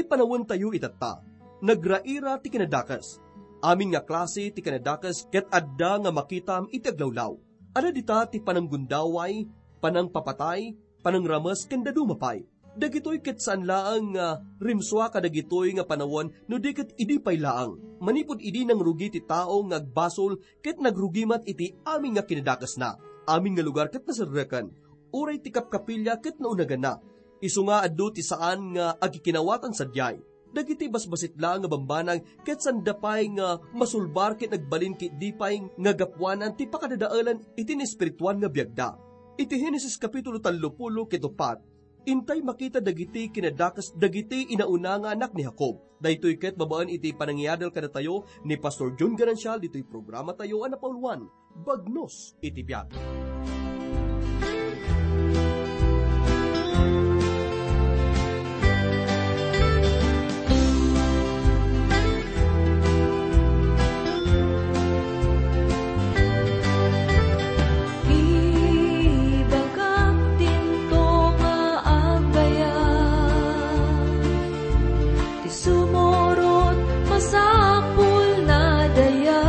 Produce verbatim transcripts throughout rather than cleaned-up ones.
Panawentayo itatta. Nagraira ti kinadakes. Amin nga klase ti kinadakes ket adda nga makitam iti aglawlaw. Adda dita ti pananggundaway, panangpapatay, panangrames ken dadduma pay. Dagitoy ket saan laeng nga rimsua kadagitoy nga panawen no di ket idi pay laeng. Manipud idi nangrugi ti tao nga agbasol ket nagrugi met iti amin nga kinadakesna. Amin nga lugar ket naserreken. Uray ti kapkapilya ket naunaganna. Isu nga adu ti saan nga agkikinawatan sadiay. Dagiti basbasit laeng nga bambanag ket sanda pay nga masulbar ket nagbalin ket di pay nga gapuanan ti pakadadaelan iti naespirituan nga biagda. Iti Henesis Kapitulo tallopulo ket upat, intay makita dagiti kinadakes dagiti inauna nga anak ni Jacob. Daytoy ket babaen iti panangiadal kadatayo ni Pastor John Garancial ditoy programatayo a napauluan, Bagnos iti Biag. Ibagak dinto nga agbayag, ti sumurot masapul na daya.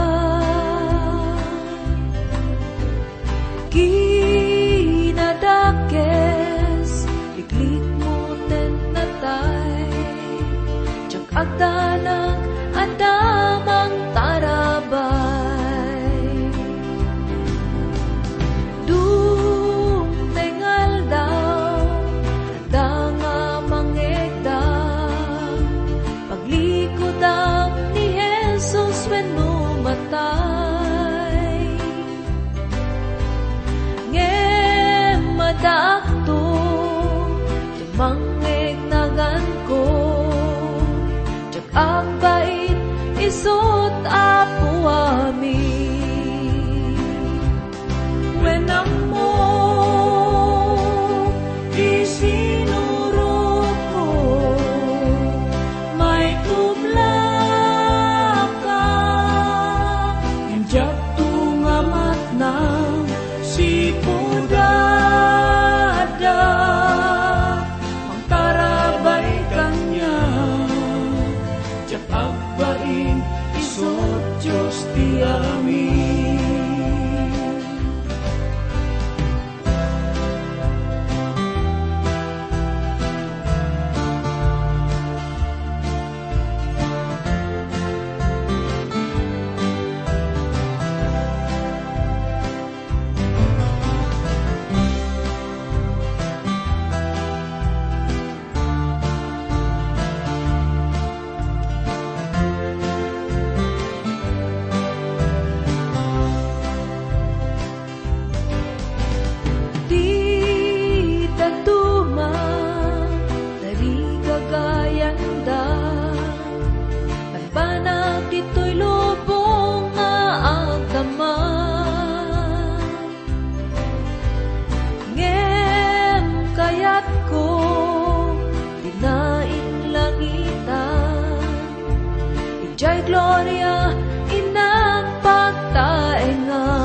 Kinadakes, liklikmo ten natay, diak agdanag, adda mangtarabay. Dumteng aldaw, adda nga mangegda, paglikudam ni Jesus wenno matay. Ngem addaakto, ti mangngegnaganko, diak agbain isut' Apo amin. Wen ammo ti sinurotko, maitublaka, ngem diak tunga matnang sipud adda mangtarabay kaniak. Diak agbain isut' Dios ti amin. Ti dadduma, tarigagayanda, banbanag ditoy lubong nga agdamag. Ngem kayatko ti nainglangitan, idiay gloria innak pagtaengan.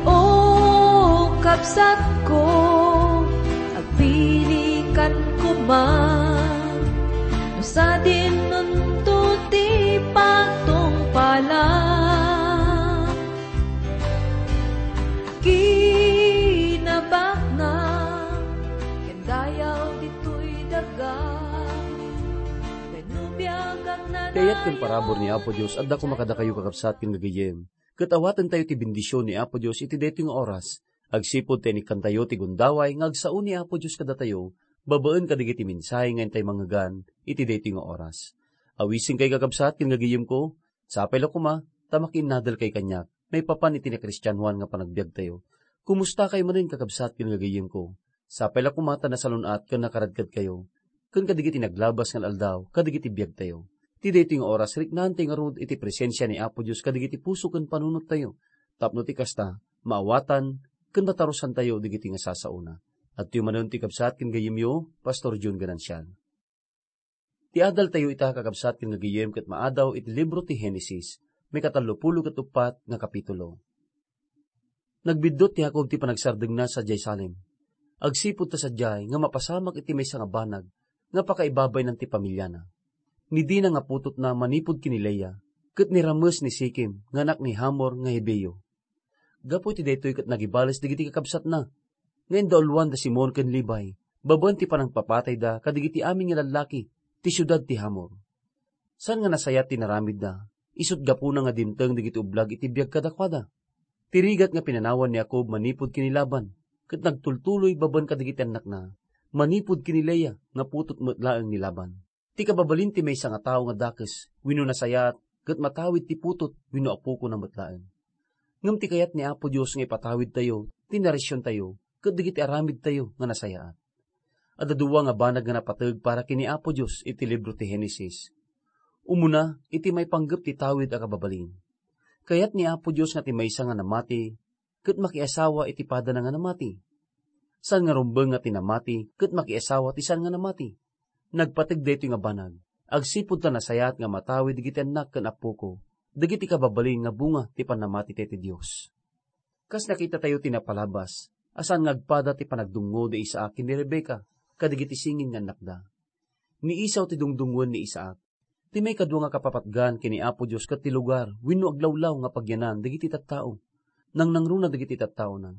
O kabsatko, agpilikan koma, no sadin nunto ti pagtungpalan. Kinabaknang ken dayaw ditoy daga, wenno biag agnanayon. Ti ayat ken parabur ni Apo Dios adda koma kadakayo, kakabsat ken gagayyem, ket awatentayo ti bendision ni Apo Dios iti daytoy nga oras, agsipud ta inikkantayo ti gundaway nga agsao ni Apo Dios kadatayo babaen kadagiti mensahe nga intay mangngegan iti daytoy nga oras. Awisenkay, kakabsat ken gagayyemko, sapay la koma ta makiinnadelkay kaniak maipapan iti nakristianoan nga panagbiagtayo. Kumustakay manen, kakabsat ken gagayyemko? Sapay la koma ta nasalun-at ken nakaradkadkayo ken kadagiti naglabas nga al-aldaw kadagiti biagtayo. Ti daytoy nga oras, riknaantay ngarud iti presensia ni Apo Dios kadagiti puso ken panunottayo, tapno ti kasta, maawatan ken matarusantayo dagiti nga sasaona. Adtoy manen ti kabsat ken gayyemyo, Pastor John Ganancial. Ti adaltayo ita, kakabsat ken gagayyem, ket maadaw iti libro ti Henesis, maikatallopulo ket uppat nga kapitulo. Nagbiddut ti Jacob ti panagsardengna sadiay Salem. agsipud ta sadiay nga mapasamak iti maysa nga banag nga pakaibabaynan ti pamiliana. Ni Dina nga putotna manipud ken ni Lea, ket ni Rames ni Sikem nga anak ni Hamor nga Hibeo. Gapu iti daytoy ket nagibales dagiti kakabsatna nga indauluan da Simon ken Levi babaen ti panangpapatayda kadagiti amin nga lallaki ti siudad ti Hamor. Saan nga nasayaat ti naramidda, isut' gapuna nga dimteng dagiti ublag iti biag kadakuada. Ti rigat nga pinanawan ni Jacob manipud ken ni Laban, ket nagtultuloy babaen kadagiti annakna, manipud ken ni Lea nga putot met laeng ni Laban. Ti kababalin ti maysa nga tao nga dakes wenno nasayaat ket matawid ti putot wenno apokona met laeng. Ngem ti kayat ni Apo Dios nga ipatawidtayo ti narisiontayo ket dagiti aramidtayo nga nasayaat. Adda dua nga banag nga napateg para ken ni Apo Dios iti libro ti Henesis. Umuna, iti maipanggep ti tawid a kababalin. Kayat ni Apo Dios nga ti maysa nga namati ket makiasawa iti padana nga namati. Saan nga rumbeng nga ti namati ket makiasawa ti saan nga namati. Nagpateg daytoy nga banag agsipud ta nasayaat nga matawid dagiti annak ken appoko, dagiti kababalin nga bunga ti pannamatitayo ti Dios. Kas nakitatayo ti napalabas, a saan nga agpada ti panagdungngo da Isaac ken ni Rebecca kadagiti singin nga annakda. Ni Esau ti dungdungngoen ni Isaac. Ti maikadua nga kapapatgan ken ni Apo Dios ket ti lugar wenno aglawlaw nga pagyanan dagiti tattao. Nangnangruna dagiti tattaona.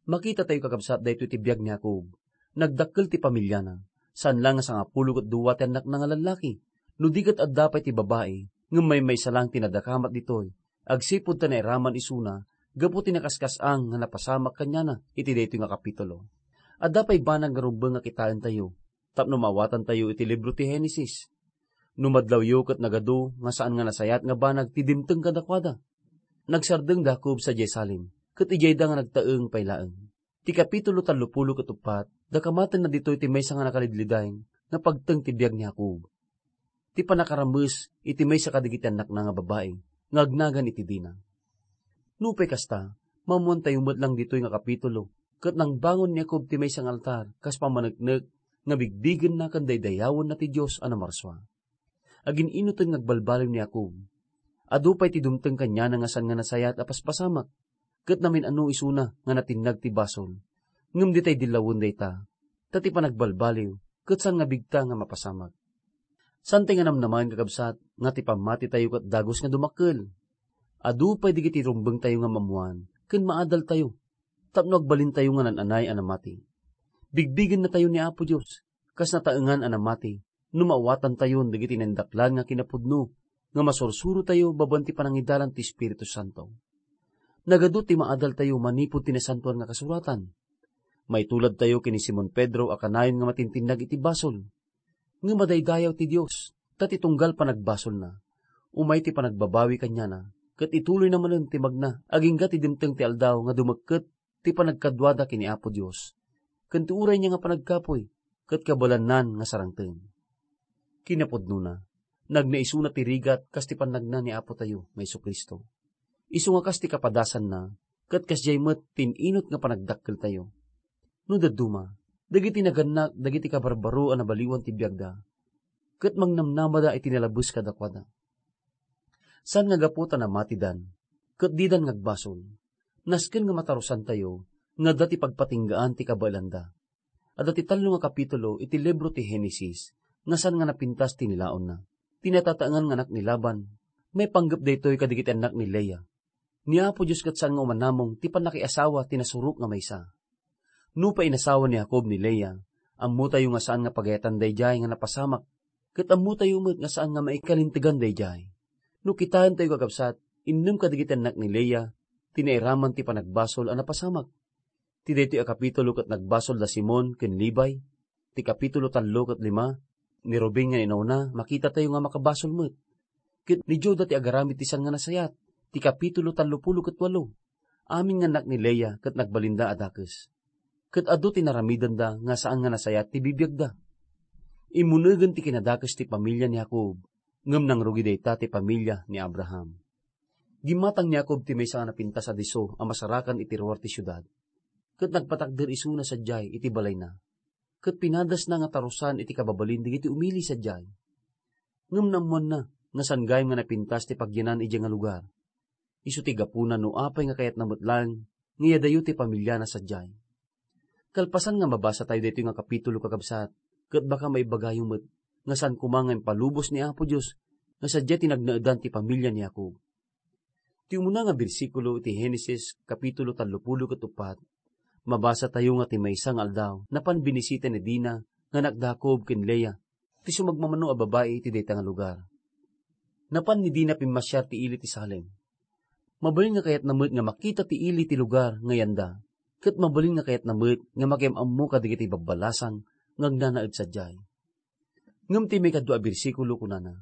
Makitatayo, kakabsat, daytoy ti biag ni Jacob. Nagdakkel ti pamiliana. Saan la nga sangapulo ket dua ti annakna nga lallaki. No di ket adda pay ti babai, ngem maymaysa lang ti nadakamat ditoy, agsipud ta nairaman isuna gapu ti nakaskas-ang nga napasamak kaniana iti daytoy nga kapitulo. Adda pay banag nga rumbeng nga kitaentayo tapno maawatantayo iti libro ti Henesis. No madlawyo ket nagadu nga saan nga nasayaat nga banag ti dimteng kadakuada. Nagsardeng da Jacob sadiay Salem, ket idiayda nga nagtaeng pay laeng. Ti kapitulo tallopulo ket uppat, dakamatenna ditoy ti maysa nga nakalidlidain nga pagteng ti biag ni Jacob. Ti pannakarames iti maysa kadagiti annakna nga babai nga agnagan iti Dina. Nupay kasta, maammoantayo met lang ditoy nga kapitulo ket nangbangon ni Jacob ti maysa nga altar kas pammaneknek nga bigbigenna ken daydayawenna ti Dios a namarsua. Agin-inoten nga agbalbaliw ni Jacob. Adu pay ti dumteng kaniana nga saan nga nasayaat a paspasamak, ket namin-ano isuna nga natinnag ti basol. Ngem ditay dillawen dayta, ta ti panagbalbaliw ket saan nga bigta nga mapasamak. Saantay nga namnamaen, kakabsat, nga ti pammatitayo ket dagus nga dumakkel. Adu pay dagiti rumbengtayo nga maammoan ken maadaltayo tapno agbalintayo nga naan-anay a namati. Bigbigennatayo ni Apo Dios kas nataengan a namati no maawatantayon dagiti naindaklan nga kinapudno nga masursurotayo babaen ti panangidalan ti Espiritu Santo. Nagadu ti maadaltayo manipud ti Nasantoan nga Kasuratan. Maituladtayo ken ni Simon Pedro a kanayon nga matintinnag iti basol. Ngem madaydayaw ti Dios, ta ti tunggal panagbasolna, umay ti panagbabawi kaniana, ket ituloyna manen ti magna agingga ti dimteng ti aldaw nga dumekket ti panagkaduada ken ni Apo Dios, ken ti urayna nga panagkapuy ket kabaelannan nga sarangten. Kinapudnona, nagna isuna ti rigat kas ti pannagna ni Apotayo nga Jesu-Cristo. Isu nga kas ti kapadasanna, ket kasdiay met ti in-inut nga panagdakkeltayo. No dadduma, dagiti nagannak dagiti kabarbaro a nabaliwan ti biagda, ket mangnamnamada iti nalabes kadakuada. Saan nga gapu ta namatidan, ket didan nga agbasol, nasken nga matarusantayo nga adda ti pagpatinggaan ti kabaelanda. Adda ti tallo nga kapitulo iti libro ti Henesis nga saan nga napintas ti nilaonna. Ti natataengan nga anak ni Laban, maipanggep daytoy kadagiti annak ni Lea. Ni Apo Dios ket saan nga umanamong ti pannakiasawa ti nasurok nga maysa. Nupay inasawa ni Jacob ni Lea, ammotayo nga saan nga pagayatan daydiay nga napasamak, ket ammotayo met nga saan nga maikalintegan daydiay. No kitaentayo, kakabsat, innem kadagiti annak ni Lea ti nairaman ti panagbasol a napasamak. Ti daytoy a kapitulo ket nagbasol da Simon ken Levi, ti kapitulo tallo ket lima, ni Ruben nga inauna, makitatayo nga makabasol met. Ket ni Juda ti agaramid ti saan nga nasayaat, ti kapitulo tallopulo ket walo. Amin nga annak ni Lea ket nagbalinda a dakes. Ket adu ti naramidenda nga saan nga nasayaat ti bibiagda. Immunegen ti kinadakes ti pamilia ni Jacob, ngem nangrugi dayta ti pamilia ni Abraham. Gimmatang ni Jacob ti maysa nga napintas a disso a masarakan iti ruar ti siudad, ket nagpatakder isuna sadiay iti balayna, ket pinadasna nga tarusan iti kababalin dagiti umili sadiay. Ngem naammoanna nga saan gayam nga napintas ti pagyanan idiay nga lugar. Isu ti gapuna no apay nga kayatna met laeng nga iadayo ti pamiliana sadiay. Kalpasan nga mabasatayo daytoy nga kapitulo, kakabsat, ket baka maibagayo met nga saan koma nga impalubos ni Apo Dios nga sadiay ti nagnaedan ti pamilia ni Jacob. Ti umuna nga bersikulo iti Genesis, kapitulo tallopulo ket uppat, mabasatayo nga ti maysa nga aldaw, napan binisita ni Dina nga anak da Jacob ken Lea, ti sumagmamano a babai iti dayta nga lugar. Napan ni Dina pimmasiar ti ili ti Salem. Mabalin nga kayatna met nga makita ti ili ti lugar nga yanda, ket mabalin nga kayatna met nga makiam-ammo kadagiti babbalasang nga agnanaed sadiay. Ngem ti maikadua a bersikulo kunana,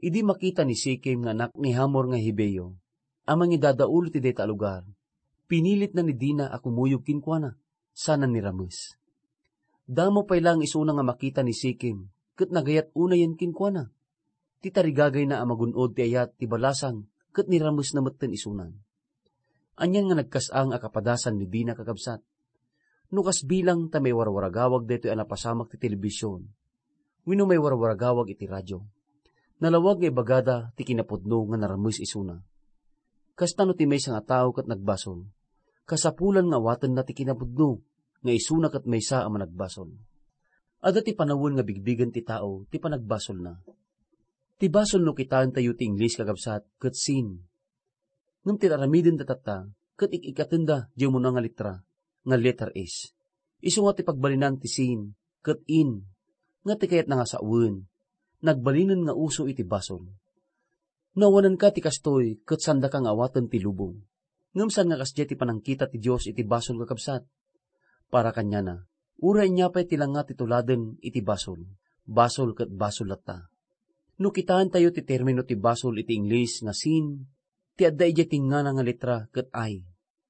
idi makita ni Sikem nga anak ni Hamor nga Hibeo a mangidadaul iti dayta a lugar, pinilitna ni Dina a kumuyog kenkuana, sana ni rames. Damo pay laeng isuna nga makita ni Sikem, ket nagayat unayen kenkuana. Ti tarigagayna a magun-od ti ayat ti balasang, ket ni ramesna metten isunan. Anian nga nagkas-ang a kapadasan ni Dina, kakabsat? No kas bilang ta maiwarwaragawag daytoy a napasamak ti telebision wenno maiwarwaragawag iti radio, nalawag nga ibagada ti kinapudno nga narames isuna. Kasta no ti maysa nga tao ket nagbasol, kasapulan nga awatenna ti kinapudno nga isuna ket maysa a managbasol. Adda ti panawen nga bigbigen ti tao ti panagbasolna. Ti basol no kitaentayo ti Ingles, kakabsat, ket sin. Ngem ti aramidenda tatta, ket ik-ikkatenda diay umuna nga letra, nga letter S. Isu nga ti pagbalinan ti sin ket in, nga ti kayatna nga sawen, nagbalinen nga uso iti basol. No awanenka ti kastoy, ket saandaka nga awaten ti lubong. Ngem saan nga kasdiay ti panangkita ti Dios iti basol, kakabsat? Para kaniana, uray ania pay ti langa ti tuladen iti basol, basol ket basol latta. No kitaentayo ti termino ti basol iti Ingles nga sin, ti adda idiay tingngana nga letra ket I,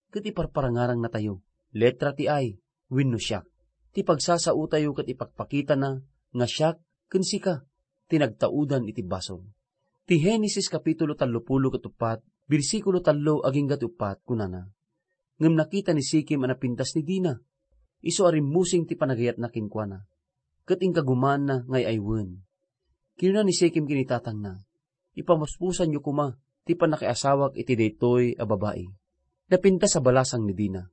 ket iparparangarangnatayo, letra ti I wenno siak. Ti pagsasaotayo ket ipakpakitana nga siak ken sika ti nagtaudan iti basol. Ti Genesis kapitulo tallopulo ket uppat, bersikulo tallo agingga ti uppat, kunana, "Ngem nakita ni Sikem a napintas ni Dina, isu a rimmusing ti panagayatna kenkuana, ket inkagumaanna nga ay-aywen. Kinuna ni Sikem ken itatangna, 'Ipamuspusanyo koma ti pannakiasawak iti daytoy a babai.'" Napintas a balasang ni Dina.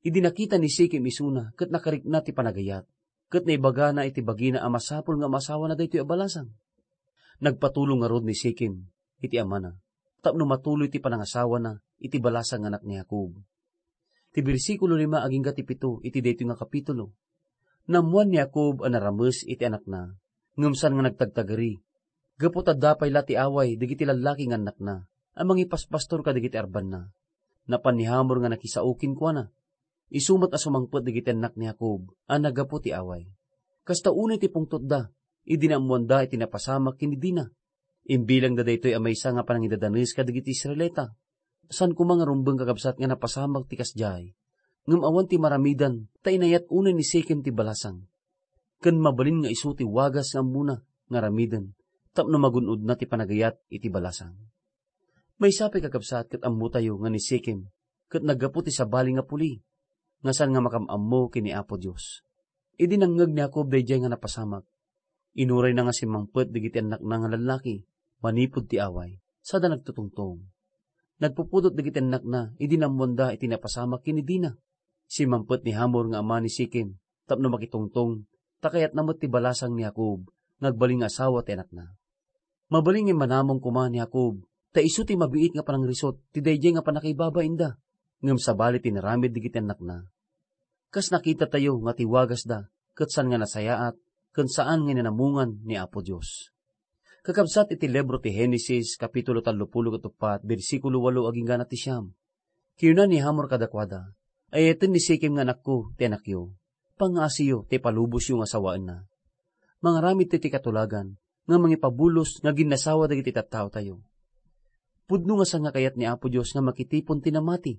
Idi nakita ni Sikem isuna ket nakarikna ti panagayat, ket naibagana iti bagina a masapul nga maasawana daytoy a balasang. Nagpatulong ngarud ni Sikem iti amana tapno matuloy ti panangasawana iti balasang nga anak ni Jacob. Ti bersikulo lima agingga ti pito iti daytoy nga kapitulo. Naammoan ni Jacob a narames iti anakna, ngem saan nga nagtagtagari, gapu ta adda pay la ti away dagiti lallaki nga annakna a mangipaspastor kadagiti arbanna. Napan ni Hamor nga nakisao kenkuana. Isu met a sumangpet dagiti annak ni Jacob a naggapu ti away. Kasta unay ti pungtotda idi naammoanda iti napasamak ken ni Dina. Imbilangda daytoy a maysa nga panangidadanes kadagiti Israelita. Saan koma nga rumbeng, kakabsat, nga napasamak ti kasdiay, ngem awan ti maramidan ta inayat unay ni Sikem ti balasang. Ken mabalin nga isu ti wagas nga ammona nga aramiden tapno magun-odna ti panagayat iti balasang. Maysa pay, kakabsat, ket ammotayo nga ni Sikem ket naggapu ti sabali nga puli nga saan nga makam-ammo ken ni Apo Dios. Idi nangngeg ni Jacob daydiay nga napasamak, inurayna nga simmangpet dagiti annakna nga lallaki manipud ti away, sada nagtutungtong. Nagpupudot dagiti annakna idi naammoanda iti napasamak ken ni Dina. Simmangpet ni Hamor nga ama ni Sikem tapno makitungtong, ta kayatna met ti balasang ni Jacob nga agbalin nga asawa ti anakna. Mabalin nga immanamong koma ni Jacob, ta isu ti mabiit nga panangrisut ti daydiay nga pannakaibabainda, ngem sabali ti inaramid dagiti annakna. Kas nakitatayo nga ti wagasda ket saan nga nasayaat ken saan nga inamongan ni Apo Dios. Kakabsat, iti libro ti Genesis, kapitulo tallopulo ket uppat, bersikulo walo agingga ti siam. Kinuna ni Hamor kadakuada, "Ay-ayaten ni Sikem nga anakko ti anakyo. Pangngaasiyo ta ipalubosyo nga sawaenna. Mangaramid ti katulagan nga mangipabulos nga aginasawa dagiti tattaotayo. Pudno nga saan nga kayat ni Apo Dios nga makitipon ti namati,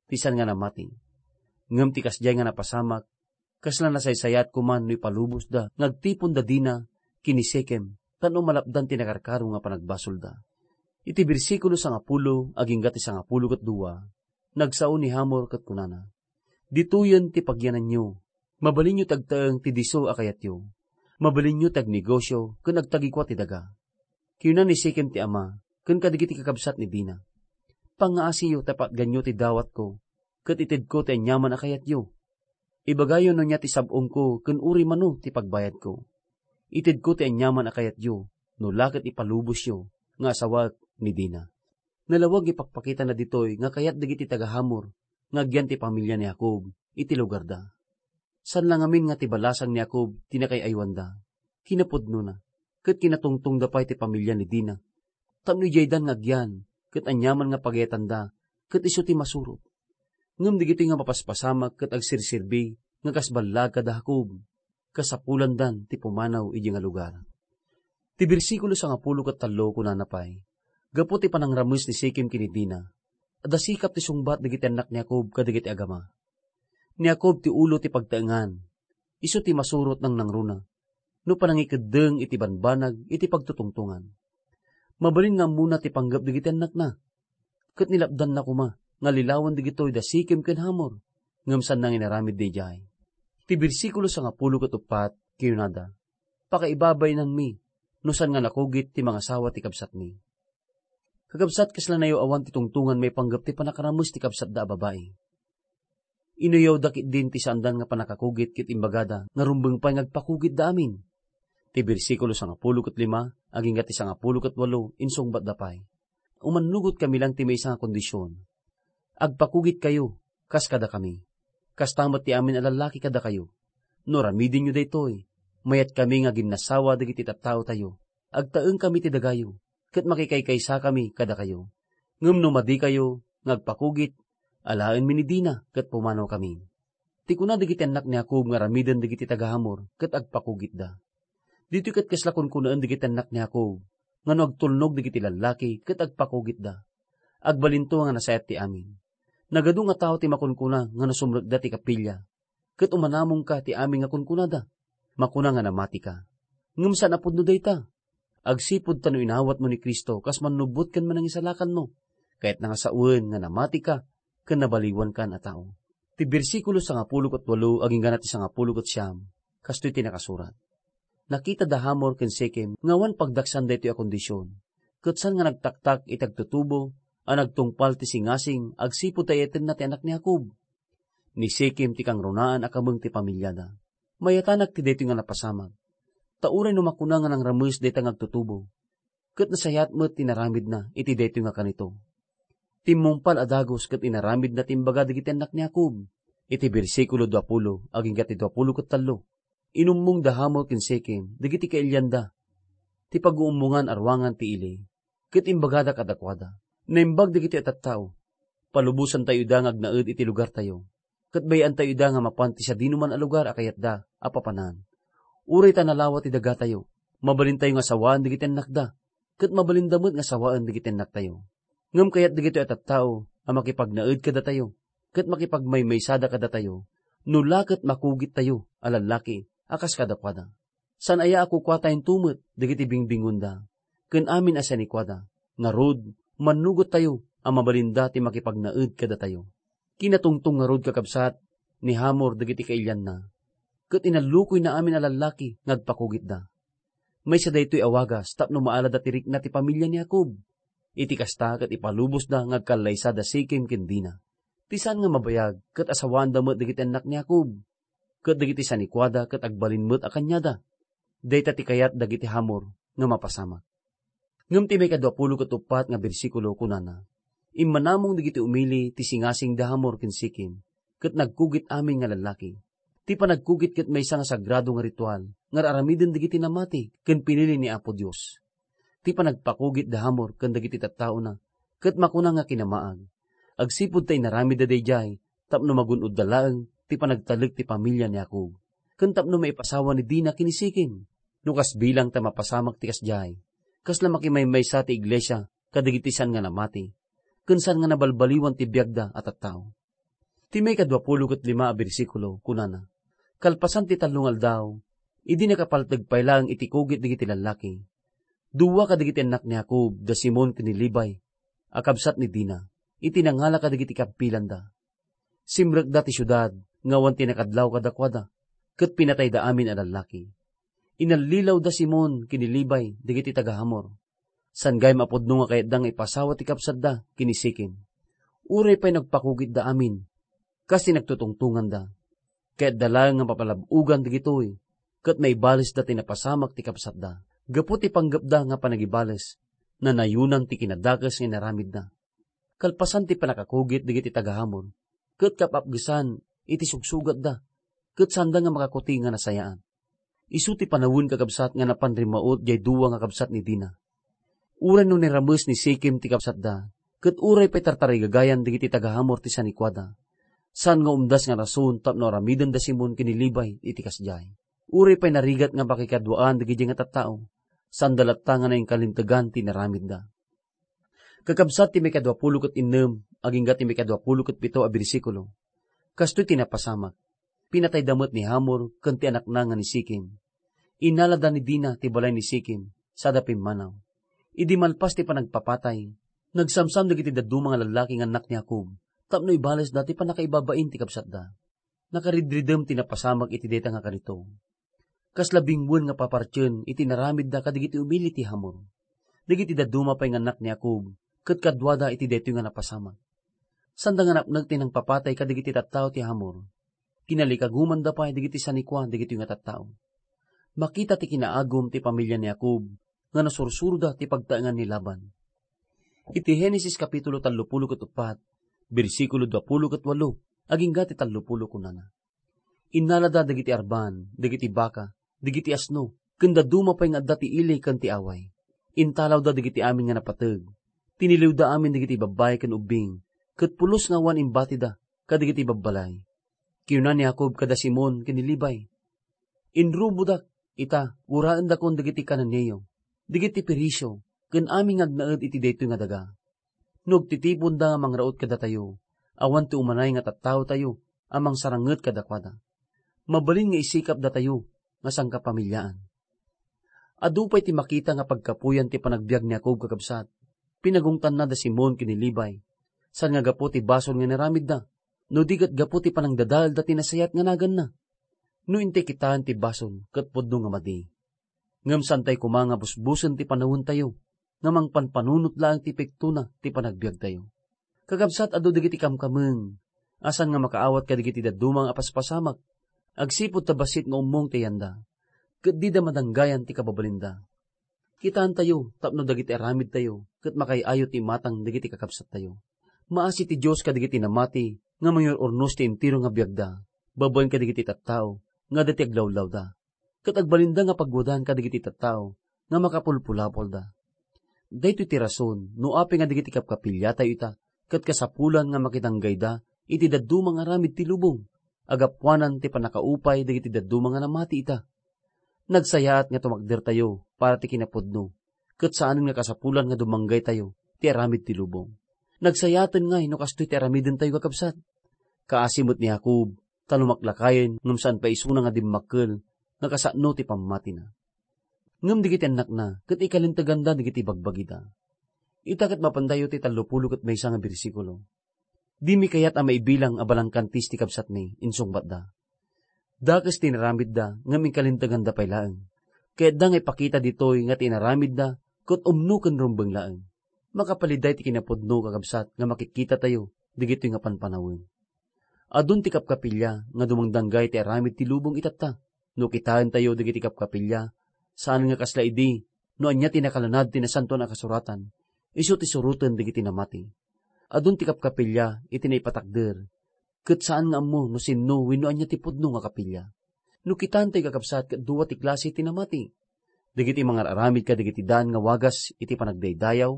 ti saan nga namati. Ngem ti kasdiay nga napasamak, kasla nasaysayaat koma no ipalubosda nga agtiponda dina ken ni Sikem, tapno malapdan ti nakarkaro nga panagbasolda." Iti bersikulo sangapulo agingga ti sangapulo ket dua, nagsao ni Hamor ket kunana, "Ditoyen ti pagyananyo. Mabalinyo ti agtaeng ti disso a kayatyo. Mabalinyo ti agnegosio ken agtagikua ti daga." Kinuna ni Sikem ti ama ken kadagiti kakabsat ni Dina, "Pangngaasiyo ta patganyo ti dawatko ket itedko ti aniaman a kayatyo. Ibagayo no ania ti sab-ongko ken uray mano ti pagbayadko. Itedko ti aniaman a kayatyo, no la ket ipalubosyo nga asawaek ni Dina. Nalawag nga ipakpakitana ditoy nga kayat dagiti taga-Hamor nga agyan ti pamilia ni Jacob iti lugarda. Saan la ngamin nga ti balasang ni Jacob ti nakaay-aywanda. Kinapudnona, ket kinatungtongda pay ti pamilia ni Dina. Tapno idiaydan nga agyan, ket aniaman nga pagayatanda, ket isu ti masurot. Ngem dagitoy nga mapaspasamak ket agserserbi nga kas ballaag kada Jacob, kasapulandan ti pumanaw idiay nga lugar. Ti bersikulo sangapulo ket tallo kunana pay, gapu ti panangrammes ni Sikem ken ni Dina, adda sikap ti sungbat dagiti annak ni Jacob kadagiti agama. Ni Jacob ti ulo ti pagtaengan, isu ti masurot nangnangruna, no panangikeddeng iti banbanag iti pagtutungtongan. Mabalin nga ammona ti panggep dagiti annakna, ket nilapdanna koma nga lilawen dagitoy da Sikem ken Hamor, ngem saanna nga inaramid daydiay. Ti bersikulo sangapulo ket uppat, kinunada, "Pakaibabainanmi, no saan nga nakugit ti mangasawa ti kabsatmi." Kakabsat, kasla nayo awan ti tungtongan maipanggep ti pannakarames ti kabsatda a babai. Inuyawda ketdin ti saandan nga pannakakugit ket imbagada nga rumbeng pay nga agpakugitda amin. Ti bersikulo sangapulo ket lima agingga ti sangapulo ket walo insungbatda pay, "Umannugotkami lang ti maysa nga kondision. Agpakugitkayo kas kadakami. Kasta met ti amin a lallaki kadakayo. No aramidenyo daytoy, mayatkami nga aginnasawa dagiti tattaotayo. Agtaengkami ti dagayo, ket makikaykaysakami kadakayo. Ngem no madikayo nga agpakugit, alaenmi ni Dina ket pumanawkami." Ti kuna dagiti annak ni Jacob nga aramiden dagiti taga-Hamor ket agpakugitda. Ditoy ket kasla kunkunaen dagiti annak ni Jacob nga no agtulnog dagiti lallaki ket agpakugitda, agbalinto nga nasayaat ti amin. Nagadu nga tao ti makunkuna nga no sumrekda ti kapilia ket umanamongka ti amin nga kunkunada, makuna nga namatika. Ngem saan a pudno dayta. Agsipud ta no inawatmo ni Cristo kas mannubbot ken manangisalakanmo, kayatna nga sawen nga namatika ken nabaliwankan a tao. Ti bersikulo sangapulo ket walo agingga ti sangapulo ket siam, kastoy ti nakasurat, "Nakita da Hamor ken Sikem nga awan pagdaksan daytoy a kondision, ket saan nga nagtaktak iti agtutubo a nagtungpal ti singasing agsipud ta iyatenna ti anak ni Jacob. Ni Sikem ti kangrunaan a kameng ti pamiliada. Mayatanak ti daytoy nga napasamak. Ta uray no makuna nga nangrames dayta nga agtutubo, ket nasayaat met ti naramidna iti daytoy nga kanito. Timmungpal a dagus ket inaramidna ti imbaga dagiti annak ni Jacob." Iti bersikulo duapulo agingga ti duapulo ket tallo, inummong da Hamor ken Sikem dagiti kailianda ti paguummongan a ruangan ti ili, ket imbagada kadakuada, "Naimbag dagiti a tattao, palubosantayo ida nga agnaed iti lugartayo, ket bay-antayo ida nga mapan ti sadinoman a lugar a kayatda a papanan. Uray ta nalawa ti dagatayo, mabalintayo nga sawaan dagiti annakda, ket mabalinda met nga sawaen dagiti annaktayo. Ngem kayat dagitoy a tattao a makipagnaed kadatayo, ket makipagmaymaysada kadatayo, no la ket makugittayo a lallaki a kas kadakuada. Saan aya a kukuatayon met dagiti bingbingonda, ken amin a sanikuada, ngarud, mannugottayo a mabalinda ti makipagnaed kadatayo." Kinatungtong ngarud, kakabsat, ni Hamor dagiti kailianna, ket inallukoyna amin a lallaki nga agpakugitda. Maysa daytoy a wagas tapno maalada ti rikna ti pamilia ni Jacob. Iti kasta, ket ipalubosda nga agkallaysa da Sikem ken Dina. Ti saan nga mabayag ket asawaanda met dagiti annak ni Jacob, ket dagiti sanikuada ket agbalin met a kaniada. Dayta ti kayat dagiti Hamor nga mapasamak. Ngem ti maikaduapulo ket uppat nga bersikulo kunana, "Immanamong dagiti umili ti singasing da Hamor ken Sikem, ket nagkugit amin nga lallaki." Ti panagkugit ket maysa nga sagrado nga ritual nga ar-aramiden dagiti namati ken pinili ni Apo Dios. Ti panagpakugit da Hamor ken dagiti tattaona ket makuna nga kinamaag, agsipud ta inaramidda daydiay tapno magun-odda laeng ti panagtalek ti pamilia ni Jacob, ken tapno maipasawa ni Dina ken ni Sikem. No kas bilang ta mapasamak ti kasdiay, kasla makimaymaysa ti iglesia kadagiti saan nga namati, ken saan nga nabalbaliwan ti biagda a tattao. Ti maikaduapulo ket lima a bersikulo, kunana, "Kalpasan ti tallo nga aldaw, idi nakapalteg pay laeng iti kugit dagiti lallaki, dua kadagiti annak ni Jacob, da Simon ken ni Levi, a kabsat ni Dina, iti nangala kadagiti kappilanda. Simrekda ti siudad nga awan ti nakadlaw kadakuada, ket pinatayda amin a lallaki. Inallilaw da Simon ken ni Levi dagiti taga-Hamor. Saan gayam a pudno nga kayatda nga ipasawa ti kabsatda ken ni Sikem. Uray pay nagpakugitda amin, kas ti nagtutungtonganda. Kayatda laeng nga mapalab-ogan dagitoy, ket naibalesda ti napasamak ti kabsatda. Gapu ti panggepda nga panagibales, nanayonan ti kinadakes nga inaramidda. Kalpasan ti pannakakugit dagiti taga-Hamor, ket kap-apgesan iti sugsugatda, ket saanda nga makakuti nga nasayaat. Isu ti panawen, kakabsat, nga napan rimmaut diay dua nga kabsat ni Dina. Uray no nirames ni Sikem ti kabsatda, ket uray pay tartarigagayan dagiti taga-Hamor ti sanikuada, saan nga umdas nga rason tapno aramiden da Simon ken ni Levi iti kasdiay. Uray pay narigat nga pakikaduaan dagiti nga tattao, saanda latta nga nainkalintegan ti inaramidda. Kakabsat, ti maikadua pulo ket innem agingga ti maikadua pulo ket pito a bersikulo, kastoy ti napasamak. Pinatayda met ni Hamor ken ti anakna nga ni Sikem. Innalada ni Dina ti balay ni Sikem, sada pimmanaw. Idi malpas ti panagpapatay, nagsamsam dagiti dadduma nga lallaki nga annak ni Jacob tapno ibalesda ti pannakaibabain ti kabsatda. Nakaridridem ti napasamak iti dayta nga karito. Kasla binguen nga papartien iti inaramidda kadagiti umili ti Hamor. Dagiti dadduma pay nga annak ni Jacob ket kaduada iti daytoy nga napasamak. Saanda nga napnek ti nangpapatay kadagiti tattao ti Hamor. Kinalikagumanda pay dagiti sanikua dagitoy nga tattao. Makita ti kinaagum ti pamilia ni Jacob nga nasursuroda ti pagtaengan ni Laban. Iti Genesis kapitulo tallopulo ket uppat, bersikulo duapulo ket walo, agingga ti tallopulo, kunana: Innalada dagiti arban, dagiti baka, dagiti asno, ken dadduma pay nga adda ti ili ken ti away. Intalawda dagiti amin nga napateg. Tiniliwda amin dagiti babbai ken ubbing, ket pulos nga awan imbatida kadagiti babbalay. Kinuna ni Jacob kada Simon ken ni Levi, "Inrubodak ita, uraendakon dagiti Cananeo, dagiti Perisio, ken amin nga agnaed iti daytoy nga daga. No agtitiponda nga mangraut kadatayo, awan ti umanay nga tattaotayo a mangsaranget kadakuada. Mabalin nga isikapdatayo nga sangkapamiliaan." Adu pay ti makita nga pagkapuyan ti panagbiag ni Jacob, kakabsat. Pinagungtanna da Simon ken ni Levi, saan nga gapu ti basol nga inaramidda, no di ket gapu ti panangdadaelda ti nasayaat nga naganna. No intay kitaen ti basol, ket pudno nga madi. Ngem saantay koma nga busbusen ti panawentayo, nga mangpanpanunot laeng ti pektona ti panagbiagtayo. Kakabsat, adu dagiti kamkameng a saan nga makaawat kadagiti dadduma nga apaspasamak, agsipud ta bassit nga ummong ti ayanda, ket dida madanggayan ti kababalinda. Kitaentayo tapno dagiti aramidtayo ket makaay-ayo ti imatang dagiti kakabsattayo. Maasi ti Dios kadagiti namati nga mangyur-urnos ti entero nga biagda babaen kadagiti tattao nga adda ti aglawlawda, ket agbalinda nga pagwadan kadagiti tattao nga makapulpulapolda. Daytoy ti rason no apay nga dagiti kapkapiliatayo ita ket kasapulan nga makidanggayda iti dadduma nga aramid ti lubong, agapuanan ti pannakaupay dagiti dadduma nga namati ita. Nagsayaat nga tumakdertayo para ti kinapudno, ket saanen nga kasapulan nga dumanggaytayo ti aramid ti lubong. Nagsayaaten ngay no kastoy ti aramidentayo, kakabsat. Kaasi met ni Jacob, ta lumaklakayen ngem saan pay isuna nga dimmakkel nga kasano ti pammatina. Ngem dagiti annakna ket ikalinteganda dagiti bagbagida. Ita ket mapantayo ti tallopulo ket maysa nga bersikulo. "Dimi kayat a maibilang a balangkantis ti kabsatmi," insungbatda. Dakes ti inaramidda ngem inkalinteganda pay laeng. Kayatda nga ipakita ditoy nga ti inaramidda ket umno ken rumbeng laeng. Makapaliday ti kinapudno, kakabsat, nga makitkitatayo dagitoy nga panpanawen. Adun ti kapkapilya nga dumangdanggay ti aramid ti lubong itatta. No kitaentayo dagiti kapkapilya, saan nga kasla idi no ania ti nakalanad ti Nasantoan a Kasuratan, isu ti suroten dagiti namati. Adun ti kapkapilya iti naipatakder, ket saan nga ammo no sinno wenno ania ti pudno nga kapilya. No kitaentayo, kakabsat, ket dua ti klase ti namati: dagiti mangar-aramid kadagiti daan nga wagas iti panagdaydayaw,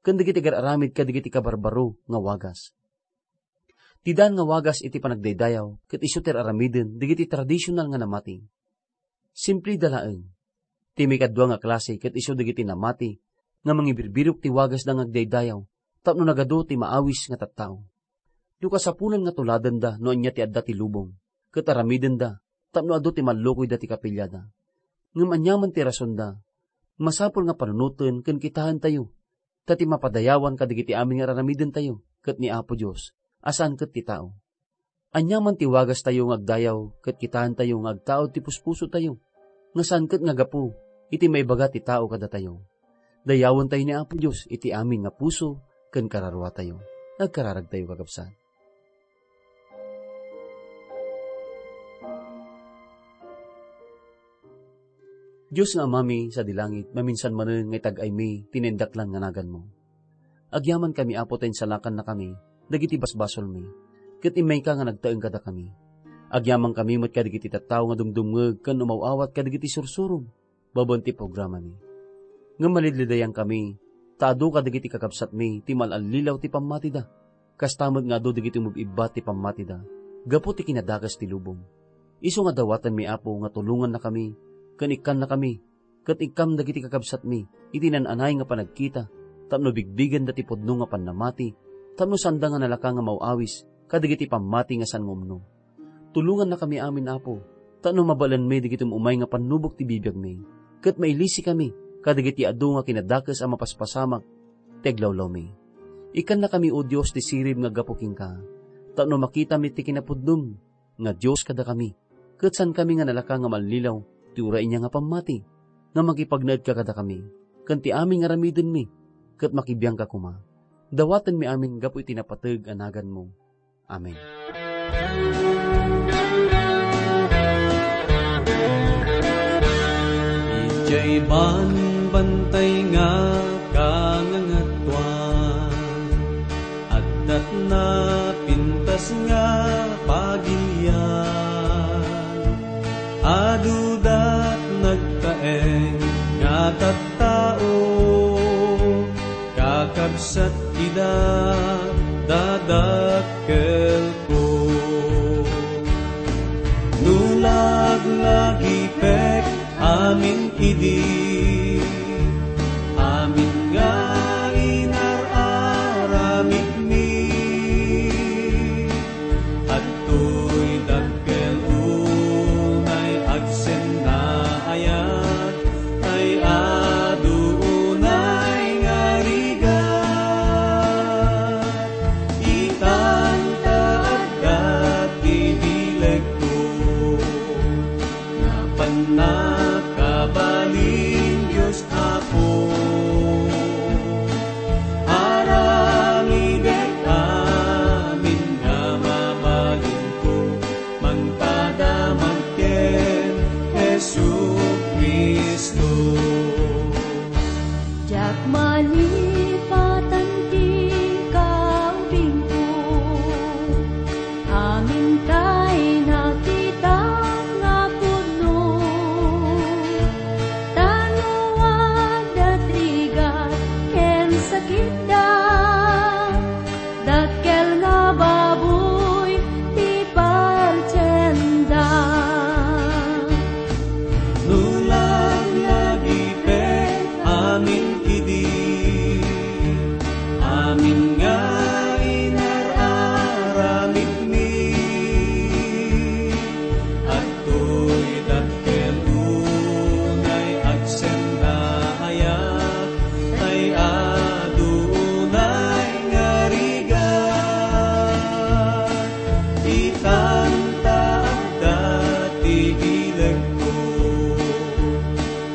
ken dagiti agar-aramid kadagiti kabarbaro nga wagas. Ti daan nga wagas iti panagdaydayaw ket isu ti ar-aramiden dagiti tradisional nga namati. Simpleda laeng. Ti maikadua nga klase ket isu dagiti namati nga mangibirbirok ti wagasda nga agdaydayaw tapno nagadu ti maawis nga tattao. No kasapulan nga tuladenda no ania ti adda ti lubong, ket aramidenda tapno adu ti mallukoyda ti kapiliada. Ngem aniaman ti rasonda, masapul nga panunoten ken kitaentayo, ta ti mapadayawan kadagiti amin nga ar-aramidentayo ket ni Apo Dios, a saan ket ti tao. Aniaman ti wagastayo nga agdayaw ket kitaentayo nga agtaud ti puspusotayo, nga saan ket nga gapu iti maibaga ti tao kadatayo. Dayawentayo ni Apo Dios iti amin nga puso ken kararuatayo. Agkararagtayo, kakabsat. Dios nga Amami sadi langit, maminsan manen nga itag-aymi ti naindaklan nga naganmo. Agyamankami, Apo, ta insalakannakami dagiti basbasolmi, ket immayka nga nagtaeng kadakami. Agyamankami met kadagiti tattao nga dumdumngeg ken umaw-awat kadagiti sursurom babaen ti programami. Ngem malidlidayankami, ta adu kadagiti kakabsatmi ti mal-allilaw ti pammatida, kasta met nga adu dagiti umib-ibba ti pammatida gapu ti kinadakes ti lubong. Isu nga dawatenmi, Apo, nga tulongannakami ken ikkannakami ket ikkam dagiti kakabsatmi iti naan-anay nga panagkita tapno bigbigenda ti pudno nga pannamati, tapno saanda nga nalaka nga maw-awis kadagiti pammati nga saan nga umno. Tulongannakami amin, Apo, tapno mabaelenmi dagiti um-umay nga pannubok ti bibiagmi, ket mailisikami kadagiti adu nga kinadakes a mapaspasamak ti aglawlawmi. Ikkannakami, O Dios, ti sirib nga aggapu kenka, tapno makitami ti kinapudnom nga Dios kadakami, ket saankami nga nalaka nga mallilaw ti uray ania nga pammati, nga makipagnaedka kadakami, ken ti amin nga aramidenmi, ket makibiangka koma. Dawatenmi amin gapu iti napateg a naganmo. Amen. Idiay banbantay nga kangangatuan, addat napintas nga pagilian. Adudat nagtaeng nga tattao, kakabsat ida dadakkelko. No laglagipek amin idi, amin nga inar-aramidmi, adtoy dakkel unay agsenna ayat, tay adu unay nga rigat. Itan ta adda ti bilegko, nga pannakabalin Dios Apo. Aramidek amin nga mabalinko, mangpadamag ken Jesu-Cristo. Diak malipatan ti kaubingko, amin tay nakitak nga pudno. Ta no adda rigat ken sakitda, dakkel nga baboy ti patienda. No laglagipek amin idi, amin nga inar-aramidmi, adtoy dakkel unay agsenna ayat, tay adu unay nga rigat. Itan ta adda ti bilegko,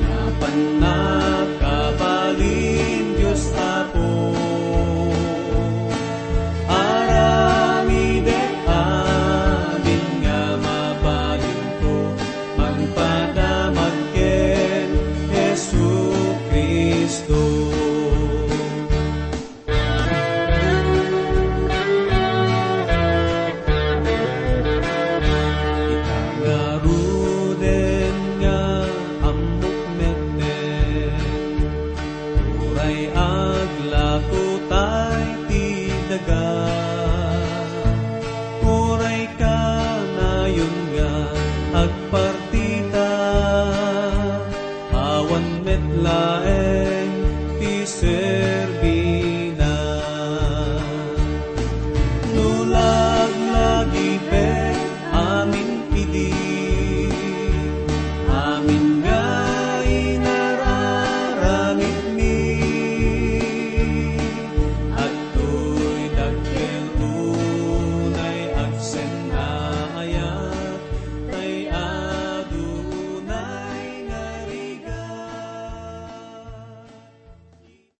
nga pannakabalin Dios Apo. Aramidek amin nga mabalinko, mangpadamag ken Jesu-Cristo. Ita ngaruden nga ammok metten, uray